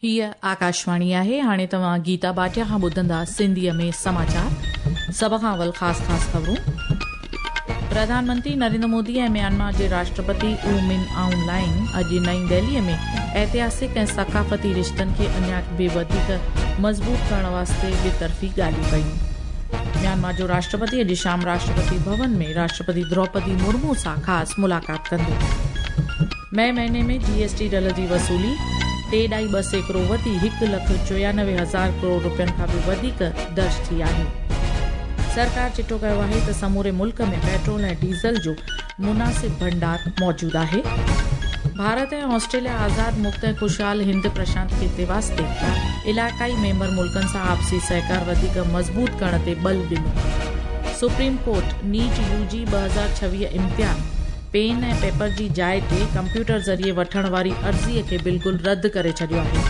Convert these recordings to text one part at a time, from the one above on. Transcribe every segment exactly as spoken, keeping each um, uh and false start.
हीअ आकाशवाणी आहे। हाणे तव्हां गीता बाटिया खां ॿुधंदा सिंधीअ में समाचार। सभ खां अवल ख़ासि ख़ासि ख़बरूं। प्रधानमंत्री नरेंद्र मोदी ऐं म्यांमार जे राष्ट्रपति ऊ मिन आउंग लाइंग अॼु नई दिल्लीअ में ऐतिहासिक ऐं सकाफ़ती रिश्तनि खे अञा बि वधीक मज़बूत करण वास्ते ॿितरफ़ी ॻाल्हियूं कयूं। म्यांमार जो राष्ट्रपति अॼु शाम राष्ट्रपति भवन में राष्ट्रपति द्रौपदी मुर्मू सां ख़ासि मुलाक़ात कंदो। मई महीने में जीएसटी डल जी वसूली टे ॾाई ॿ सैकड़ो वधी हिकु लख चोयानवे हज़ार करोड़ रुपयनि खां बि वधीक दर्ज थी आहे। सरकार चिटो कयो आहे त समूरे मुल्क में पेट्रोल ऐं डीज़ल जो मुनासिब भंडार मौजूद आहे। भारत ऐं ऑस्ट्रेलिया आज़ाद मुक्त ऐं ख़ुशहाल हिंद प्रशांत ख़िते वास्ते इलाइक़ाई मेंबर मुल्कनि सां आपसी सहकार वधीक मज़बूत करण ते बल ॾिनो। सुप्रीम कोर्ट नीट यूजी ॿ हज़ार छवीह इम्तिहान पेन ऐं पेपर जी जाइ ते कंप्यूटर ज़रिए वठण वारी अर्ज़ीअ खे बिल्कुलु रद्द करे छॾियो आहे।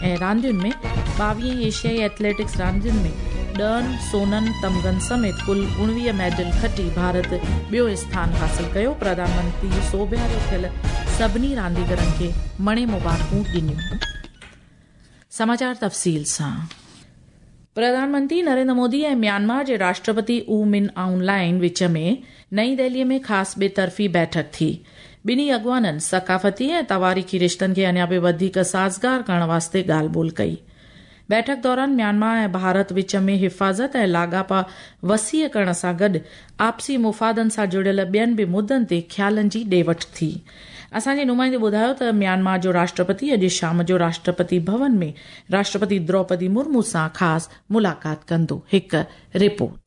ऐं रांदियुनि में ॿावीह एशियाई एथलेटिक्स रांदियुनि में ॾहनि सोननि तमगनि समेत कुल उणिवीह मेडल खटी भारत ॿियो स्थान हासिल कयो। प्रधानमंत्री सोभियारो थियल सभिनी रांदीगरनि खे मणे मुबारकूं ॾिनियूं। समाचार तफ़सील सां। प्रधानमंत्री नरेंद्र मोदी ऐं म्यांमार जे राष्ट्रपति ऊ मिन आउंग लाइंग विच में नई दिल्लीअ में ख़ासि ॿितरफ़ी बैठक थी। ॿिन्ही अॻवाननि सकाफ़ती ऐं तवारीख़ी रिश्तनि खे अञा बि वधीक साज़गार करण वास्ते ॻाल्हि ॿोल कई। बैठक दौरान म्यांमार ऐं भारत विच में हिफ़ाज़त ऐं लाॻापा वसीअ करण सां गॾु आपसी मुफ़ादनि सां जुड़ियल ॿियनि बि मुद्दनि ते ख़्यालनि जी ॾे वठि थी। असांजे नुमाइंदे ॿुधायो त म्यांमार जो राष्ट्रपति अॼु शाम जो राष्ट्रपति भवन में राष्ट्रपति द्रौपदी मुर्मू सां ख़ासि मुलाक़ात कंदो। हिकु रिपोर्ट।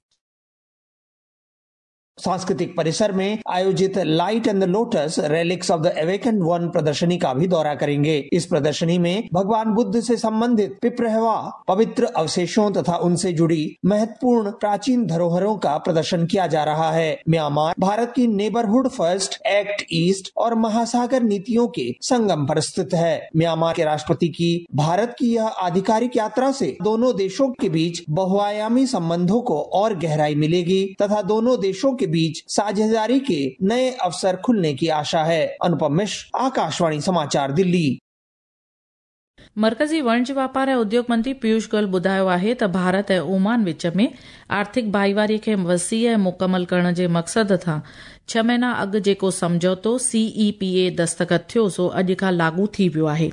सांस्कृतिक परिसर में आयोजित light and the lotus relics of the awakened one प्रदर्शनी का भी दौरा करेंगे। इस प्रदर्शनी में भगवान बुद्ध से संबंधित पिपरहवा पवित्र अवशेषों तथा उनसे जुड़ी महत्वपूर्ण प्राचीन धरोहरों का प्रदर्शन किया जा रहा है। म्यांमार भारत की नेबरहुड फर्स्ट, एक्ट ईस्ट और महासागर नीतियों के संगम पर स्थित है। म्यांमार के राष्ट्रपति की भारत की यह आधिकारिक यात्रा से दोनों देशों के बीच बहुआयामी संबंधों को और गहराई मिलेगी तथा दोनों देशों के बीच साझेदारी के नए अवसर खुलने की आशा है। अनुपम मिश्र, आकाशवाणी समाचार, दिल्ली। मरकज़ी वणज वापार ऐं उद्योग मंत्री पीयूष गोयल ॿुधायो आहे त भारत ऐं ओमान विच में आर्थिक भाईवारीअ खे वसीअ ऐं मुकमल करण जे मक़सद सां छह महीना अॻु जेको सम्झौतो सी ई पी ए दस्तख़त थियो सो अॼु खां लागू थी वियो आहे।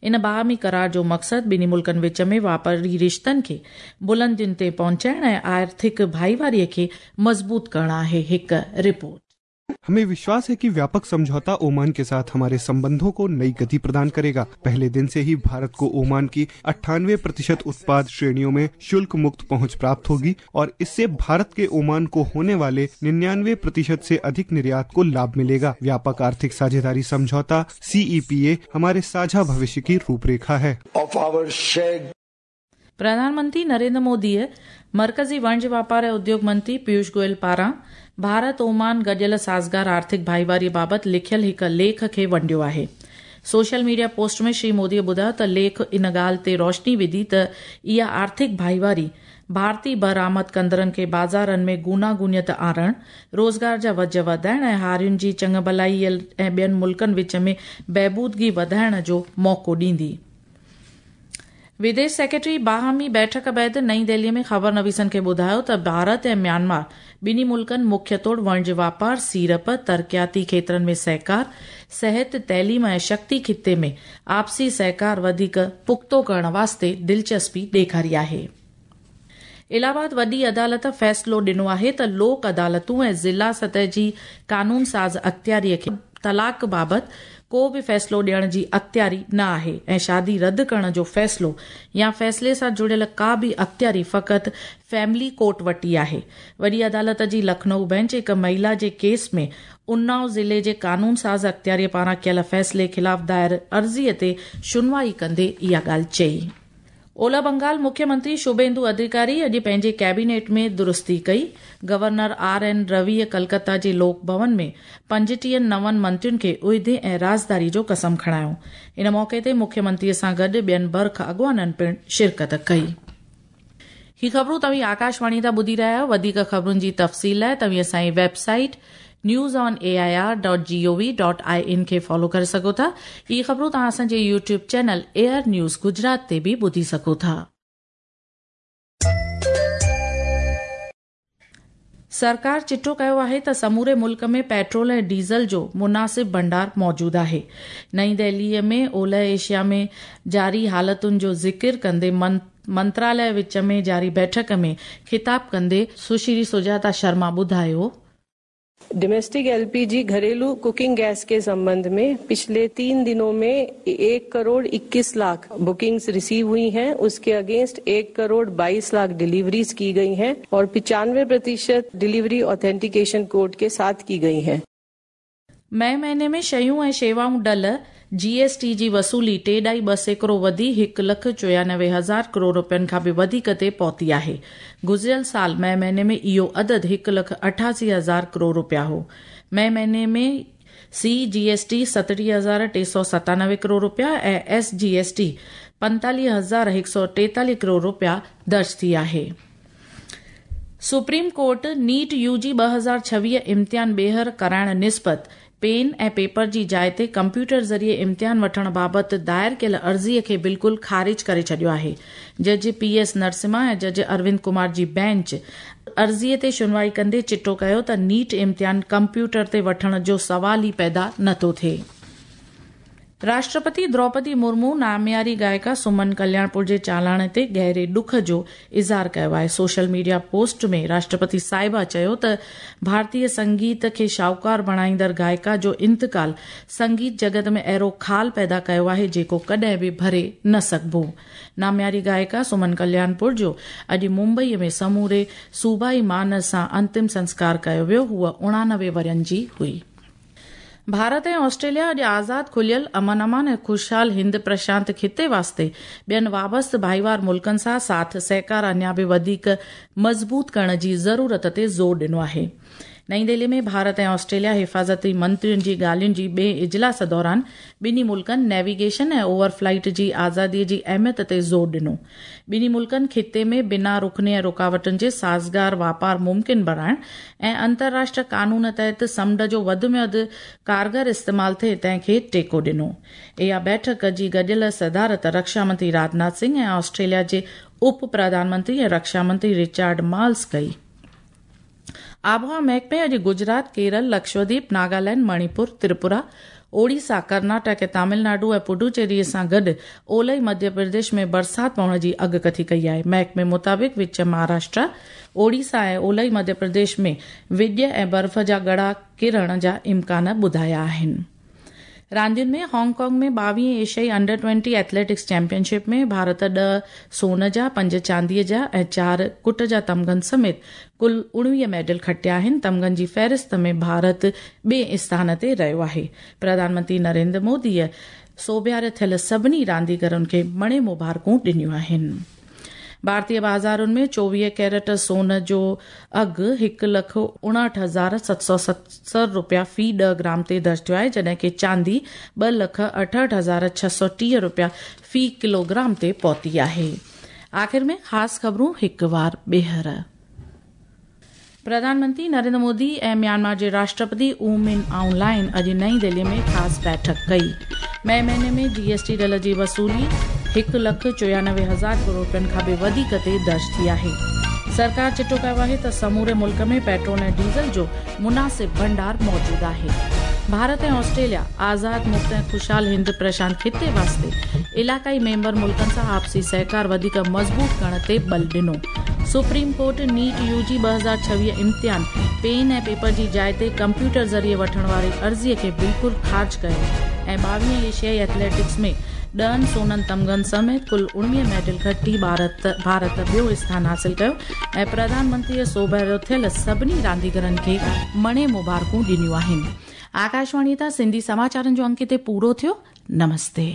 इन बाहमी करार जो मक़सदु ॿिन्ही मुल्कनि विच में वापारी रिश्तनि खे बुलंदियुनि ते पहुचाइण ऐं आर्थिक भाईवारीअ खे मज़बूत करणु आहे। हिकु रिपोर्ट। हमें विश्वास है कि व्यापक समझौता ओमान के साथ हमारे संबंधों को नई गति प्रदान करेगा। पहले दिन से ही भारत को ओमान की अट्ठानवे प्रतिशत उत्पाद श्रेणियों में शुल्क मुक्त पहुंच प्राप्त होगी और इससे भारत के ओमान को होने वाले निन्यानवे प्रतिशत से अधिक निर्यात को लाभ मिलेगा। व्यापक आर्थिक साझेदारी समझौता सी ई पी ए हमारे साझा भविष्य की रूपरेखा है। प्रधानमंत्री नरेंद्र मोदीअ मरकज़ी वणज वापार ऐं उद्योग मंत्री पीयूष गोयल पारां भारत ओमान गॾियल साज़गार आर्थिक भाईवारीअ बाबति लिखियल हिकु लेख खे वंडियो आहे। सोशल मीडिया पोस्ट में श्री मोदीअ ॿुधायो त लेख इन ॻाल्हि ते रोशनी विधी त इहा आर्थिक भाईवारी भारतीय बरामद कंदड़नि खे बाज़ारनि में गूनागूनियत आणण, रोज़गार जा वज वधाइण ऐं हारियुनि जी चङु भलाई ऐं ॿियनि मुल्कनि विच में बहबूदगी वधाइण जो मौक़ो ॾींदी। विदेश सेक्रेटरी बाहमी बैठक बाद नई दिल्लीअ में ख़बर नवीसनि खे ॿुधायो त भारत ऐं म्यांमार ॿिन्ही मुल्कनि मुख्य तौर वणज वापार, सीड़प, तरक़ियाती क्षेत्रनि में सहकार, सिहत, तइलीम ऐं शक्ति ख़िते में आपसी सहकार वधीक पुख़्तो करण वास्ते दिलचस्पी ॾेखारी आहे। इलाहाबाद वॾी अदालत फ़ैसिलो ॾिनो आहे त लोक अदालतूं ऐं ज़िला सतह जी कानून साज़ अख़्तियारीअ खे तलाक़ बाबति को बि फ़ैसिलो ॾियण जी अख़्तियारी न आहे ऐं शादी रद्द करण जो फ़ैसिलो या फ़ैसिले सां जुड़ियल का बि अख़्तियारी फ़क़ति फैमिली कोर्ट वटि ई आहे। वॾी अदालत जी लखनऊ बेंच हिकु महिला जे केस में उन्नाव ज़िले जे कानून साज़ अख़्तियारीअ पारां कयल फ़ैसिले ख़िलाफ़ दायर अर्ज़ीअ ते शुनवाई कंदे इहा ॻाल्हि चई। ओला बंगाल मुख्यमंत्री शुभेंदु अधिकारी अॼु पंहिंजे कैबिनेट में दुरुस्ती कई। गवर्नर आर एन रविअ कलकत्ता जे लोक भवन में पंजटीह नवनि मंत्रियुनि खे उहिदे ऐं राज़दारी जो कसम खणायो। इन मौक़े ते मुख्यमंत्रीअ सां गॾु ॿियनि बर्ख अॻवाननि पिणु शिरकत कई। ही ख़बरूं तव्हीं आकाशवाणी तां ॿुधी रहिया आहियो। वधीक ख़बरुनि जी तफ़सील लाइ तव्हीं असांजी website News on A I R dot G O V dot I N खे फॉलो करे सघो था। इहे ख़बरूं तव्हां असांजे YouTube channel AIR news Gujarat ते बि ॿुधी सघो था। सरकार चिटो कयो आहे त समूरे मुल्क में पेट्रोल ऐं डीज़ल जो मुनासिब भंडार मौजूद आहे। नई दिल्लीअ में ओलह एशिया में जारी हालतुनि जो ज़िक्र कंदे मंत्रालय विच में जारी बैठक में खिताब कंदे सुश्री सुजाता शर्मा ॿुधायो, डोमेस्टिक एलपीजी घरेलू कुकिंग गैस के संबंध में पिछले तीन दिनों में एक करोड़ इक्कीस लाख बुकिंग्स रिसीव हुई हैं। उसके अगेंस्ट एक करोड़ बाईस लाख डिलीवरीज की गई हैं और पिचानवे प्रतिशत डिलीवरी ऑथेंटिकेशन कोड के साथ की गई हैं। मई महीने में शयूं ऐं शेवाऊं डल जीएसटी जी वसूली टे ॾाई ॿ सैकड़ो वधी हिकु लख चोयानवे हज़ार करोड़ रुपयनि खां बि वधीक ते पहुती आहे। गुज़िरियल साल मई महीने में इहो अदद हिकु लख अठासी हज़ार करोड़ रुपया हो। मई महीने में सी जीएसटी सतटीह हज़ार टे सौ सतानवे करोड़ रुपया ऐं एस जीएसटी पंतालीह हज़ार हिकु सौ टेतालीह करोड़ रुपया दर्ज थी आहे। सुप्रीम कोर्ट नीट यूजी ॿ हज़ार छवीह इम्तिहान ॿीहर कराइण निस्बत पेन ऐं पेपर जी जाइ ते कंप्यूटर ज़रिए इम्तिहान वठण बाबति दायर कयल अर्ज़ीअ खे बिल्कुलु ख़ारिज करे छॾियो आहे। जज पी एस नरसिम्हा ऐं जज अरविंद कुमार जी बेंच अर्ज़ीअ ते सुनवाई कंदे चिटो कयो त नीट इम्तिहान कंप्यूटर ते वठण जो सवाल ई पैदा नथो थिए। राष्ट्रपति द्रौपदी मुर्मू नामियारी गायिका सुमन कल्याणपुर जे चालाण ते गहरे ॾुख जो इज़हार कयो आहे। सोशल मीडिया पोस्ट में राष्ट्रपति साहिबा चयो त भारतीय संगीत खे शाहूकार बणाईंदड़ गायिका जो इंतकाल संगीत जगत में अहिड़ो खाल पैदा कयो आहे जेको कॾहिं बि भरे न सघिबो। नामियारी गायिका सुमन कल्याणपुर जो अॼु मुंबईअ में समूरे सूबाई मान सां अंतिम संस्कार कयो वियो। हूअ उणानवे वरनि जी हुई। भारत ऐं ऑस्ट्रेलिया अॼु आज़ाद, खुलियल, अमन अमान ऐं ख़ुशहाल हिंद प्रशांत खिते वास्ते ॿियनि वाबस्त भाईवार मुल्कनि सां साथ सहकार अञा बि वधीक मज़बूत करण जी ज़रूरत ते ज़ोर ॾिनो आहे। नई दिल्ली में भारत ऐं ऑस्ट्रेलिया हिफाज़ती मंत्रियुनि जी ॻाल्हियुनि जी ॿिए इजलास दौरान ॿिन्ही मुल्कनि नेविगेशन ऐं ओवरफ्लाइट जी आज़ादीअ जी अहमियत ते ज़ोर ॾिनो। ॿिन्ही मुल्कनि खिते में बिना रुकने ऐं रुकावटुनि जे साज़गार वापार मुमकिन बणाइण ऐं अंतर्राष्ट्रीय कानून तहत समुंड जो वधि में वधि कारगर इस्तेमाल थिए तंहिंखे टेको ॾिनो। इहा बैठक जी गॾियल सदारत रक्षा मंत्री राजनाथ सिंह ऐं ऑस्ट्रेलिया जे उप प्रधानमंत्री ऐं रक्षा मंत्री रिचार्ड माल्स कई। आबहावा महकमे अॼु गुजरात, केरल, लक्षद्वीप, नागालैंड, मणिपुर, त्रिपुरा, ओडिशा, कर्नाटक ऐं तमिलनाडु ऐं पुडुचेरीअ सां गॾु ओलह मध्य प्रदेश में बरसाति पवण जी अॻकथी कई आहे। महकमे मुताबिक़ विच महाराष्ट्र, ओडिशा ऐं ओलह मध्य प्रदेश में विॼ ऐं बर्फ़ जा ॻड़ा किरण जा इम्कान ॿुधाया आहिनि। रांदियुनि में हांगकांग में ॿावीह एशियाई अंडर ट्वेंटी एथलेटिक्स चैंपियनशिप में भारत ॾह सोन जा, पंज चांदीअ जा ऐं चारि कुट जा तमगनि समेत कुल उणिवीह मेडल खटिया आहिनि। तमगनि जी फ़हरिस्त में भारत ॿिए स्थान ते रहियो आहे। प्रधानमंत्री नरेंद्र मोदीअ सोबियार थियल सभिनी रांदीगरनि खे मणे मुबारकूं ॾिनियूं आहिनि। भारतीय बाज़ारुनि में चोवीह कैरेट सोन जो अघु हिकु लख उणाहठि हज़ार सत सौ सतरि रुपया फ़ी ॾह ग्राम ते दर्ज थियो आहे, जॾहिं की चांदी ॿ लख अठहठि हज़ार छह सौ टीह रुपया फ़ी किलोग्राम ते पहुती आहे। आख़िर में ख़ासि ख़बरूं हिकु वार ॿीहर। प्रधानमंत्री नरेंद्र मोदी ऐं म्यांमार जे राष्ट्रपति उ मिन आउंग लाइन अॼु नई दिल्ली में ख़ासि बैठक कई। मई महीने में जीएसटी डल जी वसूली हिकु लख चोयानवे हज़ार करोड़ रुपयनि खां बि वधीक ते दर्ज थी आहे। सरकार चिटो कयो आहे त समूरे मुल्क में पेट्रोल ऐं डीज़ल जो मुनासिब भंडार मौजूद आहे। भारत ऐं ऑस्ट्रेलिया आज़ाद, मुक्त ऐं ख़ुशहाल हिंद प्रशांत खिते वास्ते इलाक़ाई मेंबर मुल्कनि सां आपसी सहकार वधीक मज़बूत करण ते बल ॾिनो। सुप्रीम कोर्ट नीट यूजी ॿ हज़ार छवीह इम्तिहान पेन ऐं पेपर जी जाइ ते कंप्यूटर ज़रिए वठण वारी अर्ज़ीअ खे बिल्कुलु ख़ारिज कयो ऐं ॿावीह एशियाई एथलेटिक्स में ॾहनि सोननि तमगनि समेत कुल उणिवीह मेडल खटी भारत भारत ॿियो स्थान हासिल कयो ऐं प्रधानमंत्रीअ सोभारो थियल सभिनी रांदीगरनि खे मणे मुबारकूं ॾिनियूं आहिनि। आकाशवाणी तां सिंधी समाचारनि जो अंक हिते पूरो थियो। नमस्ते।